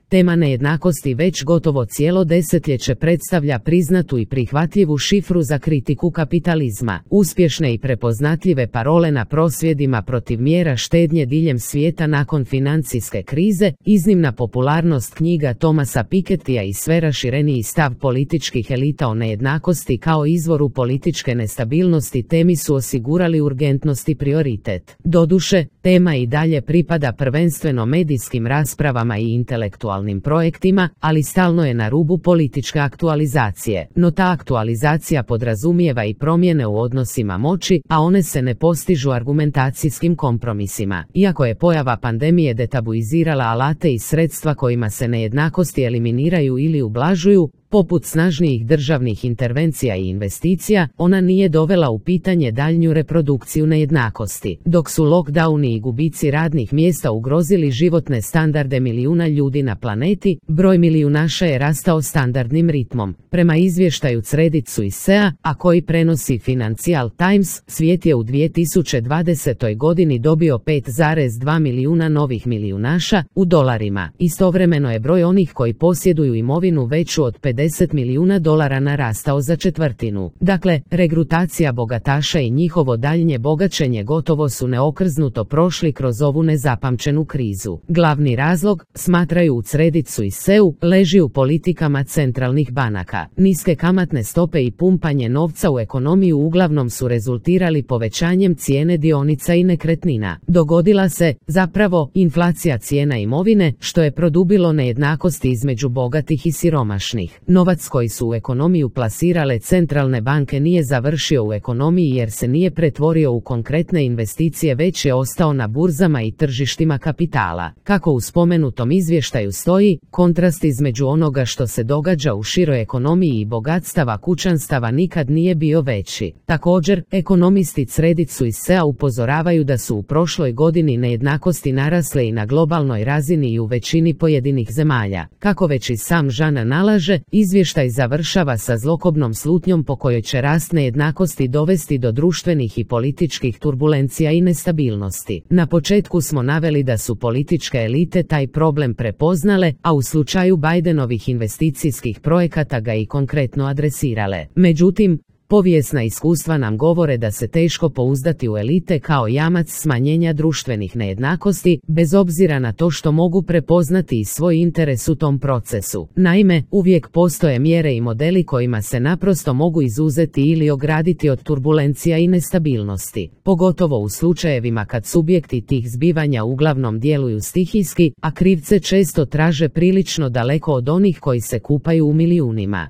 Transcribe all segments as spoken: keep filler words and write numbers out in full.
Tema nejednakosti već gotovo cijelo desetljeće predstavlja priznatu i prihvatljivu šifru za kritiku kapitalizma. Uspješne i prepoznatljive parole na prosvjedima protiv mjera štednje diljem svijeta nakon financijske krize, iznimna popularnost knjiga Thomasa Pikettya i sve rašireniji stav političkih elita o nejednakosti kao izvoru političke nestabilnosti temi su osigurali urgentnost i prioritet. Doduše, tema i dalje pripada prvenstveno medijskim raspravama i intelektualnim projektima, ali stalno je na rubu političke aktualizacije. No ta aktualizacija podrazumijeva i promjene u odnosima moći, a one se ne postižu argumentacijskim kompromisima. Iako je pojava pandemije detabuizirala alate i sredstva kojima se nejednakosti eliminiraju ili ublažuju, poput snažnijih državnih intervencija i investicija, ona nije dovela u pitanje daljnju reprodukciju nejednakosti. Dok su lockdowni i gubici radnih mjesta ugrozili životne standarde milijuna ljudi na planeti, broj milijunaša je rastao standardnim ritmom. Prema izvještaju Credit Suisse-a, a koji prenosi Financial Times, svijet je u dvije tisuće dvadesetoj godini dobio pet zarez dva milijuna novih milijunaša u dolarima. Istovremeno je broj onih koji posjeduju imovinu veću od pedeset milijuna dolara narastao za četvrtinu. Dakle, regrutacija bogataša i njihovo daljnje bogaćenje gotovo su neokrznuto prošli kroz ovu nezapamćenu krizu. Glavni razlog, smatraju u Credit Suisse-u, leži u politikama centralnih banaka. Niske kamatne stope i pumpanje novca u ekonomiju uglavnom su rezultirali povećanjem cijene dionica i nekretnina. Dogodila se, zapravo, inflacija cijena imovine, što je produbilo nejednakosti između bogatih i siromašnih. Novac koji su u ekonomiju plasirale centralne banke nije završio u ekonomiji jer se nije pretvorio u konkretne investicije, već je ostao na burzama i tržištima kapitala. Kako u spomenutom izvještaju stoji, kontrast između onoga što se događa u široj ekonomiji i bogatstava kućanstava nikad nije bio veći. Također, ekonomisti Credit Suisse-a upozoravaju da su u prošloj godini nejednakosti narasle i na globalnoj razini i u većini pojedinih zemalja. Kako već i sam Jean nalaže, izvještaj završava sa zlokobnom slutnjom po kojoj će rast nejednakosti dovesti do društvenih i političkih turbulencija i nestabilnosti. Na početku smo naveli da su političke elite taj problem prepoznale, a u slučaju Bidenovih investicijskih projekata ga i konkretno adresirale. Međutim, povijesna iskustva nam govore da se teško pouzdati u elite kao jamac smanjenja društvenih nejednakosti, bez obzira na to što mogu prepoznati i svoj interes u tom procesu. Naime, uvijek postoje mjere i modeli kojima se naprosto mogu izuzeti ili ograditi od turbulencija i nestabilnosti. Pogotovo u slučajevima kad subjekti tih zbivanja uglavnom djeluju stihijski, a krivce često traže prilično daleko od onih koji se kupaju u milijunima.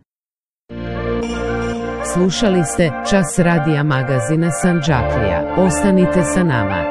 Slušali ste Čas radija magazina Sandžaklija. Ostanite sa nama.